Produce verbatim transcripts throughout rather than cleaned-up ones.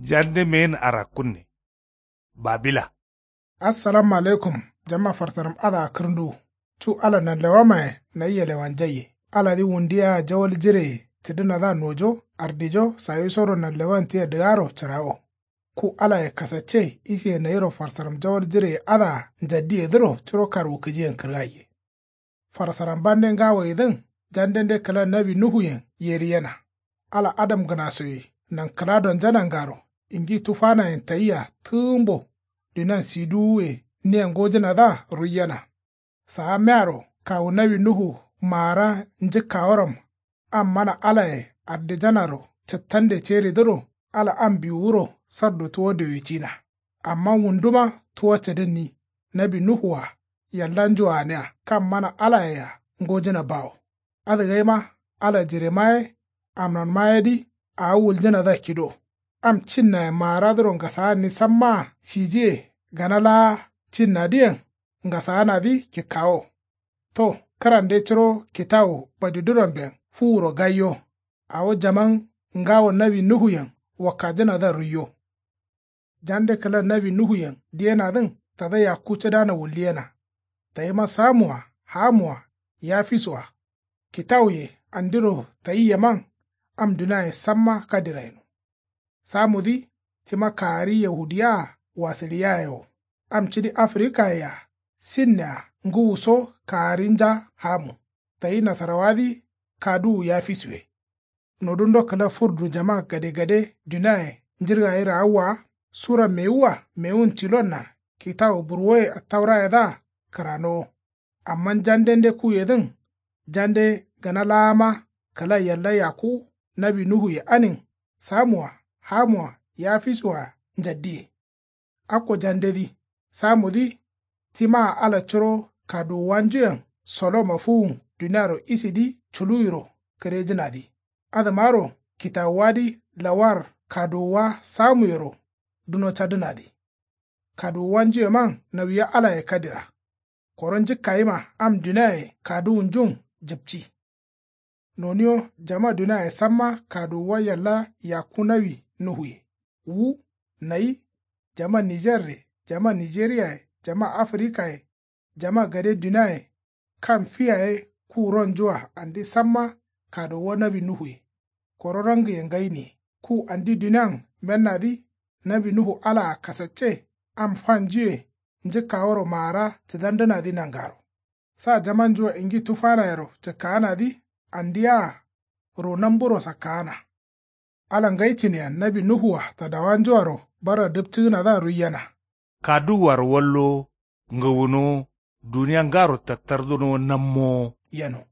Jande meyin arakkunne. Babila. Assalamu alaikum. Jama farsaram adǝa kǝrnduwu. Cu ala nanlewamaye nayi yalewanjaiye. Aladǝ wundi yea jawal jireye cǝdǝnadǝa nojo ardijo sayisoro nanlewan tia dǝgaro cǝrawo. Ku alaye kasacce isiye nayiro farsaram jawal jireye adǝa njaddiyedǝro curo karwukǝjiyen kǝrgaiye. Farsaram bande ngawoyedǝn jandende kǝla nawi nuhuyen yeriyena. Ala adamgǝnasoye nankǝla donja nangaro ingi tufanayen tayia tǝgǝmbo. Dunian siduwuye nia ngojǝnadǝa ruiyena. Saa mearo kawu nawi nuhu maara njǝkkaworam. Am mana alaye ardijanaro cǝttande ceridǝro ala am biwuro sardu tuwo diwicina. Amma wunduma tuwo cǝdǝnni nawi nuhu-a yallanju gǝnia kam mana alaye-a ngojǝna bawo. Adǝ gaima ala jirema ye amnonma yedǝ awo wuljǝnadǝa kido. Am cinnaye maaradǝro ngasaanni sammaa sijiye gana laa cinnadǝyen ngasaanadǝ kikkawo. To kǝrande curo kitawu badiduramben fuwuro gaiyo. Awo jaman ngawo nawi nuhuyen wakkajǝnadǝa ruiyo. Jande kǝla nawi nuhuyen diyenadǝn tada yakku cǝdana wulliyena. Tayima samu-a hamu-a yafisu-a kitawuye andiro tayiyeman am duniaye samma kadirayeno. Samudǝ tima kaari yahudiya-a wasǝliyaye wo. Am cidi afrikaye-a sinne-a ngǝwuso kaarinja hamu. Tayi nasarawadǝ kaduwu yafisuye. Nodundo kǝla furdu jama gadegade duniaye njǝrgayi raawwa-a sura mewu-a mewun tilon-a kitawu burwoye attaurayedǝa kǝranowo. Amma jandende kuyedǝn jande gana laama kǝla yalla yakku nawi nuhuye anin samu-a hamu-a yafisu-a njaddiye. Akko jandedǝ samudǝ timaa ala curo kaduwuwanjuyen soloma fuwun duniaro isidǝ culuwiro kǝrejǝnadǝ. Adǝmaro kitawuwadǝ lawar kaduwuwa samuyero duno cadǝnadǝ. Kaduwuwanjuyeman nawiya alaye kadira. Koro njǝkkayima am duniaye kaduwunjun jǝpci. Noniyo jama duniaye samma kaduwuwa yalla yakku nawi nuhuye. Wu nayi jama nijerre jama nijeriyaye jama afrikaye jama gade duniaye kam fi yaye kuwuronjua andi samma kaduwuwa nawi nuhuye. Koro rangǝye ngainiye ku andi dunian mennadǝ nawi nuhu alaa kasacce am fanjuye njǝkkaworo maara cǝdandǝnadǝ nangaro. Sa jamanjua ingi tufanayero cǝkkaanadǝ andia ro namburo sakkaana. Ala ngai cǝniyen nawi nuhu-a tadawanjuaro barra dǝpcǝgǝnadǝa ruiyena. Kaduwuaro wallowo ngawunowo duniya ngaro tattardunowo nammowo. Yeno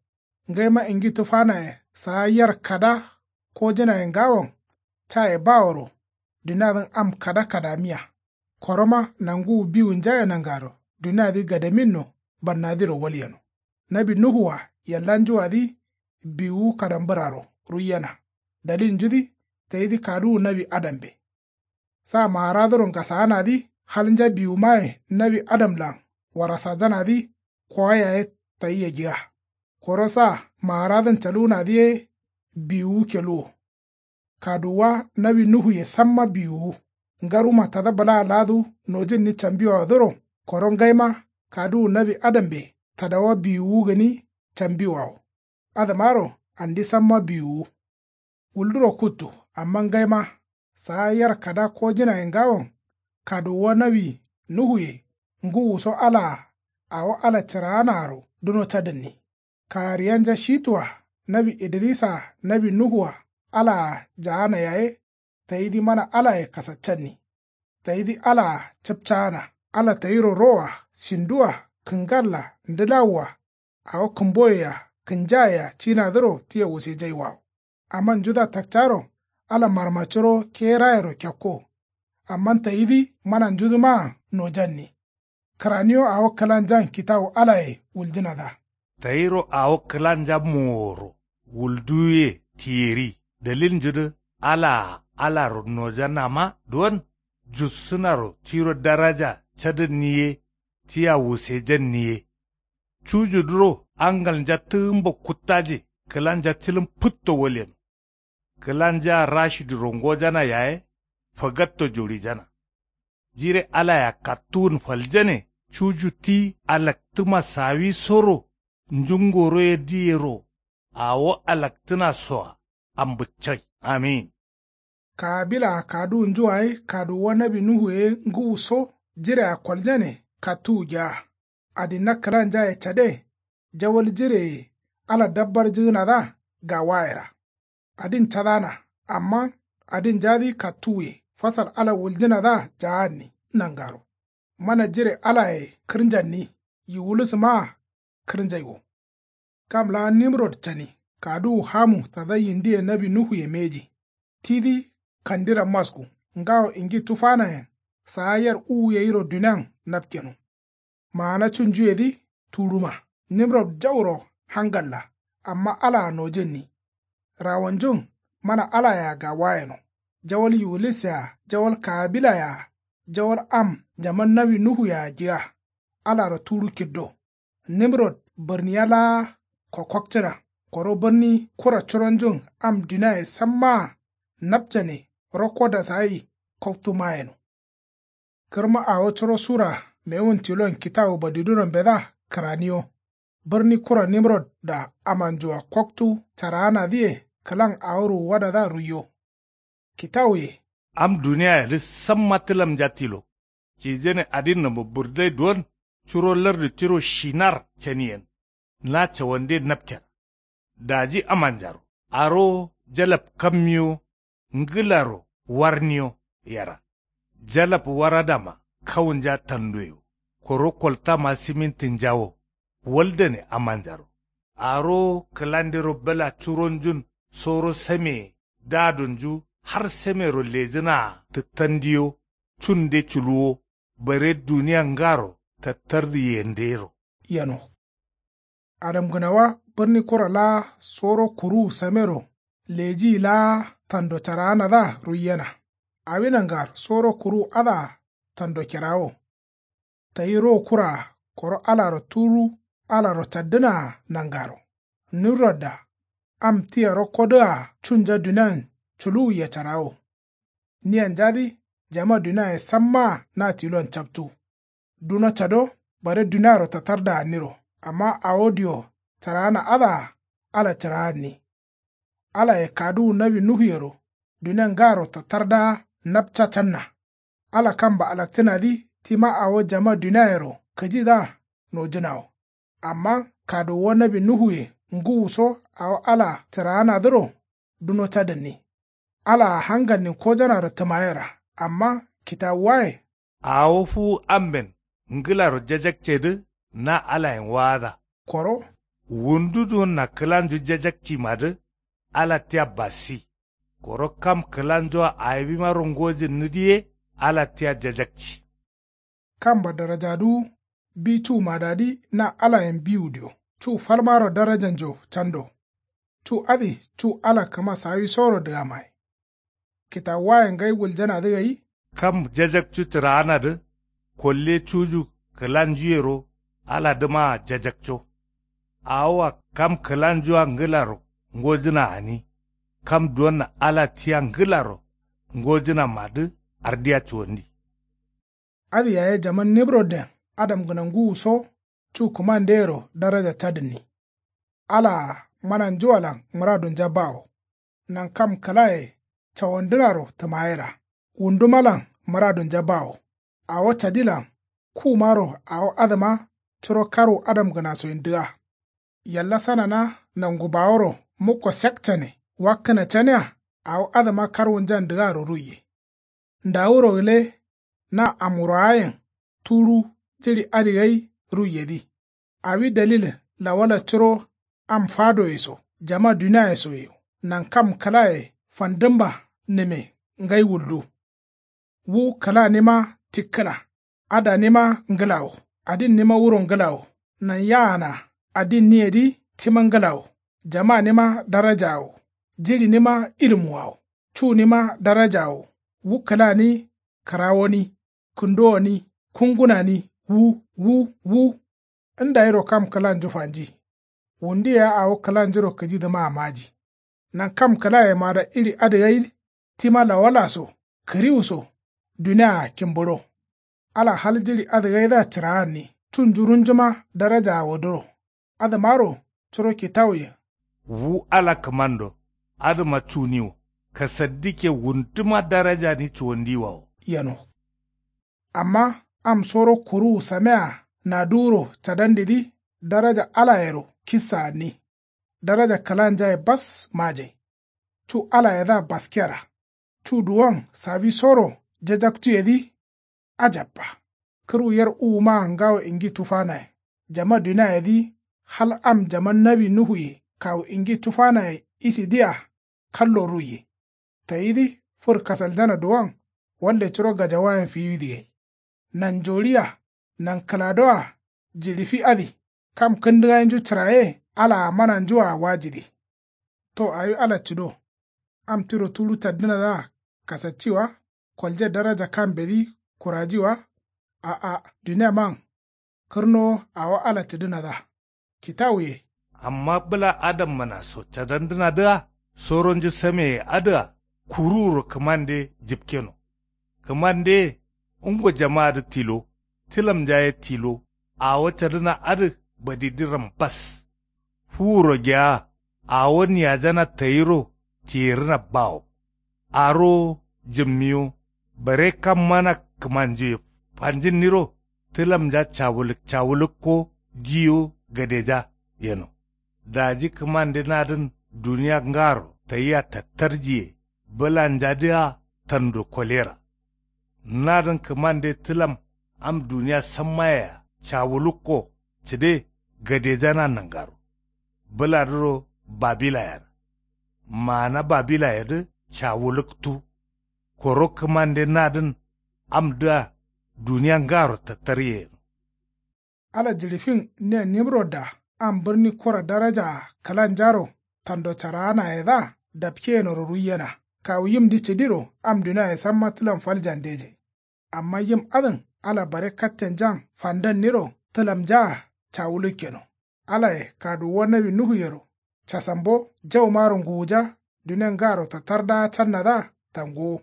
ngaima ingi tufanaye saa yar kada kojǝnaye ngawon caye baworo duniadǝn am kada kadamiya. Koroma nanguwu biwunjaye nangaro duniadǝ gadaminno bannadiro walyeno. Nawi nuhu-a yallanjuwadǝ biwuwu kadambǝraro ruiyena. Dalilnjudǝ tayidǝ kaduwu nawi adambe. Sa maaradǝro ngasaanadǝ halnja biwumaye nawi adamlan warasajanadǝ kowa yaye tayi yagiga. Koro sa maaradǝn caluwunadǝ ye biwuwu keluwo. Kaduwuwa nawi nuhuye samma biwuwu. Ngaruma tada bǝlaa laadu nojǝnni cambiwawadǝro koro ngaima kaduwu nawi adambe tadawa biwuwu gǝni cambiwawo. Adǝmaro andi samma biwuwu. Wulduro kuttu amma ngaima saa yar kada kojǝnaye ngawon kaduwuwa nawi nuhuye ngǝwuso alaa awo ala cǝraanaaro duno cadǝnni. Kaariyanja shitu-a nawi idirisaa nawi nuhu-a alaa jaana yaye tayidǝ mana alaye kasaccanni. Tayidǝ alaa capcaana ala tayiro ro-a sindu-a kǝngalla ndǝlawu-a awo kǝmboye-a kǝnjaye-a cinadǝro tia wusejaiwawo. Amma njudǝa takcaro ala marmacuro kerayero kekko. Amma tayidǝ mana njudǝmaa nojanni. Kǝraniyo awo kǝlanjan kitawu alaye wuljǝnadǝa. Tayiro awo kǝlanja moworo wulduwuye tiyeri dalilnjudǝ alaa alaro nojanama duwon jussǝnaro tiro daraja cadǝnni ye tia wusejanni ye. Cujudǝro angalnja tǝgǝmbo kuttaje kǝlanja cǝlǝm pǝtto walyeno. Kǝlanjaa rashiduro ngojana yaye fagatto juɍijana. Jire alaya kattuwun faljane cuju ti alaktǝma sawisoro njungoro ye diyero. Awo alaktǝna soa ambǝccai. Amin. Kaabila kaduwunju gai kaduwuwa nawi nuhu ye ngǝwu so jirea koljane kattuwu gea. Adinna kǝlanjaye cade. Jawal jireye ala dabbarjǝgǝnadǝa gawayera. Adin cadana. Amma adinjadǝ kattuwuye fasal ala wuljǝnadǝa jaanni nangaro. Mana jire alaye kǝrnjanni yiwulusǝmaa kǝrnjaiwo. Kam laa nimrod cani kaduwu hamu tada yindiye nawi nuhuye mbeji. Tidǝ kandira masku ngawo ingi tufanayen saa yar uwu gairo dunian napkeno. Maana cunjuyedǝ tuɍuma. Nimrod jauro hangalla. Amma alaa nojǝnni. Rawonjun mana alayea gawayeno. Jawal yiwulisea jawal kaabilayea jawal am jaman nawi nuhuyea jǝga. Alaro tuɍu kiddo. Nimrod bǝrniya laa kokkokcǝna. Koro bǝrni kura curonjun am duniaye sammaa napcane rokko dasagai koktu mayeno. Kǝrma awo curo sura mewun tilon kitawu badiduno mbedǝa kǝraniyo. Bǝrni kura nimrodda amanjua koktu caraanadǝye kǝlan awo ruwuwadadǝa ruiyo. Kitawuye. Am duniayedǝ samma tǝlamnja tilo. Cijane adin nǝmo bǝrdai duwon curo lardu tiro shinar caniyen. Na cawande napkera. Daji amanjaro aro jalab kammiyo. Ngǝlaro warniyo yera. Jalab waradama kawunja tandoye wo. Koro koltama simintinja wo. Waldane amanjaro. Aro kǝlandero bǝla curonjun soro sameye dadonju har samero lejǝnaa tǝttandiyo. Cunde culuwo. Bare duniya ngaro tattardu yendero. Yeno. Adamgǝnawa bǝrni kura laa soro kuruwu samero lejiyi laa tando caraanadǝa ruiyena. Awi nangar soro kuruwu adǝa tando kerawo. Tayi ro kuraa koro alaro tuɍu alaro caddǝnaa nangaro. Nimrodda am tia rokkodǝa cunja dunian culuwuye carawo. Niyanjadǝ jama duniaye sammaa na tilon captu. Duno cado bare duniaro tattarda gǝnniro. Amma awo dio cǝraana adǝa ala cǝraanni. Alaye kaduwu nawi nuhuyero dunia ngaro tattardaa napca canna. Ala kamba alakcǝnadǝ tima awo jama duniayero kǝjidǝa nojǝnawo. Amma kaduwuwa nawi nuhuye ngǝwuso awo ala cǝraanadǝro duno cadǝnni. Alaa hangalnin kojanaro tǝmayera. Amma kitawuwaye. Awo fuwu amben ngǝlaro jajakcedǝ na alayen waada. Koro. Wundu duwonna kǝlanju jajakcimadǝ ala tia bassi. Koro kam kǝlanjua awimaro ngojǝnnǝdǝ ye ala tia jajakci. Kamba darajaduwu bi cu madadǝ na alayen biwudiyo cu falmaro darajanjo cando. Cu adǝ cu ala kǝma sawisoro dǝgamaye. Kitawuwaye ngai wuljanadǝ gai. Kam jajakcu cǝraanadǝ kolle cuju kǝlanjuyero aladǝmaa jajakco. Awoa kam kǝlanjua ngǝlaro ngojǝna gǝni. Kam duwonna ala tia ngǝlaro ngojǝnamadǝ ardiya cuwandi. Adǝ yaye jaman nimrodden adamgǝna ngǝwuso cu kǝmandeyero daraja cadǝnni. Alaa mananjualan mǝradunja bawo. Nankam kǝlaye cawandǝnaro tǝmayera. Wundumalan mǝradunja bawo. Awo cadilan kumaro awo adǝma curo karwu adamgǝnasoyen dǝga. Yallasanana nangu baworo mukko sekcane wakkǝna cania awo adǝma karwunjan dǝgaro ruiye. Ndawuro gǝle na amwurawayen tudu jiɍi adǝ gai ruiyedǝ. Awi dalil lawala curo am fadoye so jama duniaye soye nankam kǝlaye fandǝmma nǝme ngai wuldu. Wu kǝlanima tikkǝna. Adanima ngǝlawo. Adinnima wuro ngǝlawo. Nanyaana adinniyedǝ tima ngǝlawo. Jamanima darajawo. Jiɍinima ilmuwawo. Cunima darajawo. Wu kǝlani kǝrawoni kǝndowoni kungunani wu wu wu. Ndayiro kam kǝlanju fanji. Wundu yea awo kǝlanjuro kǝjidǝmaa maji. Nankam kǝlayemada iɍi adǝ gai tima lawala so Kǝriwu so dunia kimbǝɍo. Ala hal jiɍi adǝgaidǝa cǝraanni cunju runjuma darajaa woduro. Adǝmaro curo kitawuyen. Wu ala kǝmando adǝma cuni wo kasaddikke wunduma darajani cuwandiwa wo. Yeno. Amma am soro kuruwu samea naduwuro cadandidǝ daraja alayero kissa anni. Daraja kǝlanjaye bas majai. Cu alayedǝa baskera. Cu duwon sawisoro jajaktuyedǝ. Ajabba. Kǝrwu yer uwumaa ngawo ingi tufanaye. Jama duniayedǝ hal am jaman nawi nuhuye kawu ingi tufanaye isidǝa. Kallo ruiye. Tayidǝ fǝr kasaljana duwon. Walle curo gajawayen fiwidǝ gai. Nanjoɍia nankǝladoa jiɍifi adǝ. Kam kǝndǝgainju cǝraye alaa mananjua wajidǝ. To awi ala cǝdo. Am tiro tuɍu caddǝnadǝa kasacci wa. Kolje daraja kambedǝ kuraji wa. A'a duniaman. Kǝrnowo awo ala cǝdǝnadǝa. Kitawuye. Amma bǝla adammana so cadandǝnadǝa soronju sameye adǝa kuruwuro kǝmande jǝpkeno. Kǝmandeye ngo jamaadǝ tilo. Tǝlamnjaye tilo. Awo cadǝna adǝ badidǝram bas. Fuwuro geaa awo niyajana tayiro tiyerǝna bawo. Arowo jǝmmiwo. Bare kam mana kǝmanjuye fanjinniro tǝlamnja cawulǝk cawulǝkko giyo gadeja yeno. Daji kǝmande nadǝn duniya ngaro tayia tattarjiye bǝlanjadǝa tando kolera. Nadǝn kǝmande tǝlam am duniya sammayea cawulukko cǝde gadejana nangaro. Bǝladǝro babilayera. Maana babilayedǝ cawuluktu. Koro kǝmande nadǝn amdǝa duniya ngaro tattarye yeno. Ala jiɍifin nia nimrodda am bǝrni kura darajaa kǝlanjaro tando caraanayedǝa dapkeyenoro ruiyena. Kawu yimdǝ cǝdiro am duniaye samma tǝlam fal jandejai. Amma yim adǝn ala bare kattenjan fandanniro tǝlamnjaa cawulukkeno. Alaye kaduwuwa nawi nuhuyero casambo jaumaro nguwuja duniya ngaro tattardaa cannadǝa tanguwo.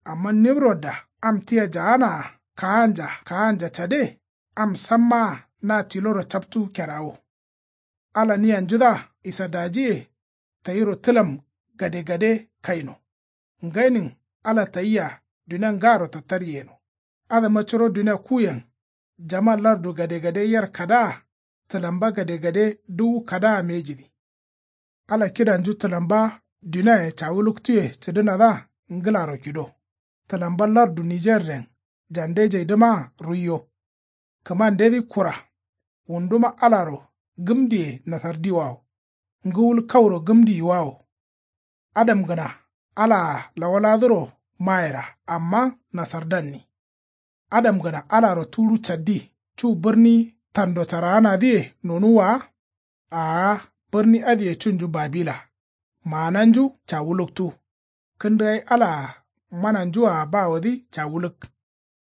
Amma nimrodda am tia jaanaa kaanja kaanja cade. Am sammaa na tiloro captu kerawo. Ala niyanjudǝa isadajiye tayiro tǝlam gadegade kaino. Ngainin ala tayia duniya ngaro tattarye yeno. Adǝma curo duniya kuyen. Jama lardu gadegade yer kadaa tǝlamba gadegade duwu kadaa mejidǝ. Ala kidanju tǝlamba duniaye cawuluktuye cǝdǝnadǝa ngǝlaro kido. Tǝlamba lardu nijerden jandejaidǝmaa ruiyo. Kǝmandedǝ kura. Wunduma alaro gǝmdiye nasardiwawo. Ngǝwul kauro gǝmdiyiwawo. Adamgǝna alaa lawaladǝro mayera amma nasardanni. Adamgǝna alaro tuɍu caddi cu bǝrni tando caraanadǝye nonuwwa wa. Aa bǝrni adǝye cunju babila. Maananju cawuluktu. Kǝndǝgai alaa mananjua bawodǝ cawuluk.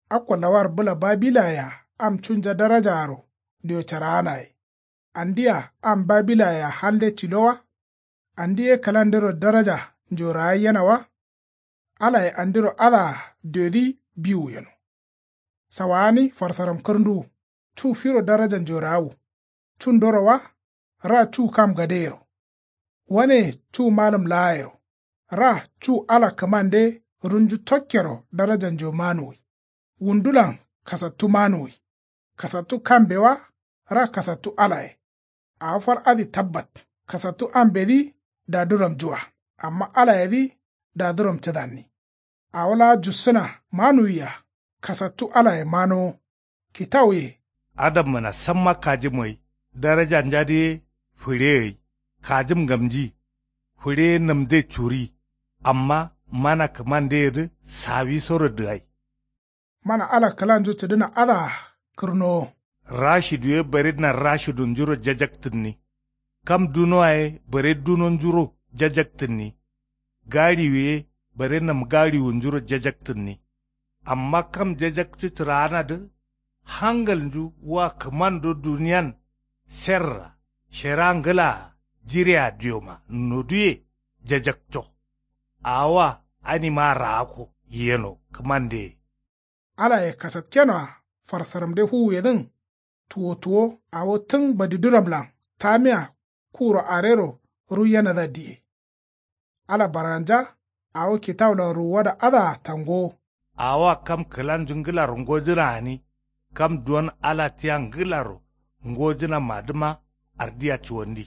Akko lawar bǝla babilayea am cunja darajaaro dio caraanaye. Andia am babilayea halde tilo wa. Andi ye kǝlandero daraja njoragai yena wa. Alaye andiro adǝa diodǝ biwu yeno. Sawaani farsaram kǝrnduwu. Cu firo daraja njorawu. Cundoro wa. Ra cu kam gadeyero. Waneye cu malǝm laayero. Ra cu ala kǝmande runju tokkero darajanjo manuwi. Wundulan kasattu manuwi. Kasattu kambe wa. Ra kasattu alaye. Awo fal adǝ tabbat. Kasattu ambedǝ daduramjua. Amma alayedǝ daduram cǝdanni. Awo laa jussǝna manuwiya. Kasattu alaye manowo. Kitawuye. Adammǝna samma kajǝm gai darajanjadǝ ye fǝɍe gai. Kajǝm ngamji. Fǝɍe ye namde curi. Amma mana kǝmandeyedǝ sawisoro dǝgai. Mana ala kǝlanju cǝdǝna adǝa kǝrnowo. Rashidu ye baredǝna rashidunjuro jajaktǝnni. Kam dunoa ye bare dunonjuro jajaktǝnni. Gaɍiwu ye bare namgaɍiwunjuro jajaktǝnni. Amma kam jajakcu cǝraanadǝ hangalnju wa kǝmando duniyan serra shera ngǝlaa jirea dioma noduye jajakco. Awoa animaa raakko. yeno kǝmande. Alaye kasatkenoa farsaramde fuwuyedǝn tuwo tuwo awo tǝn badiduramlan tamiya kuro arero ruiyenadǝa diye. Ala barganja awo kitawulan ruwuwada adǝa tangowo. Awoa kam kǝlanju ngǝlaro ngojǝna gǝni kam duwon ala tia ngǝlaro ngojǝnamadǝma ardiya cuwandi.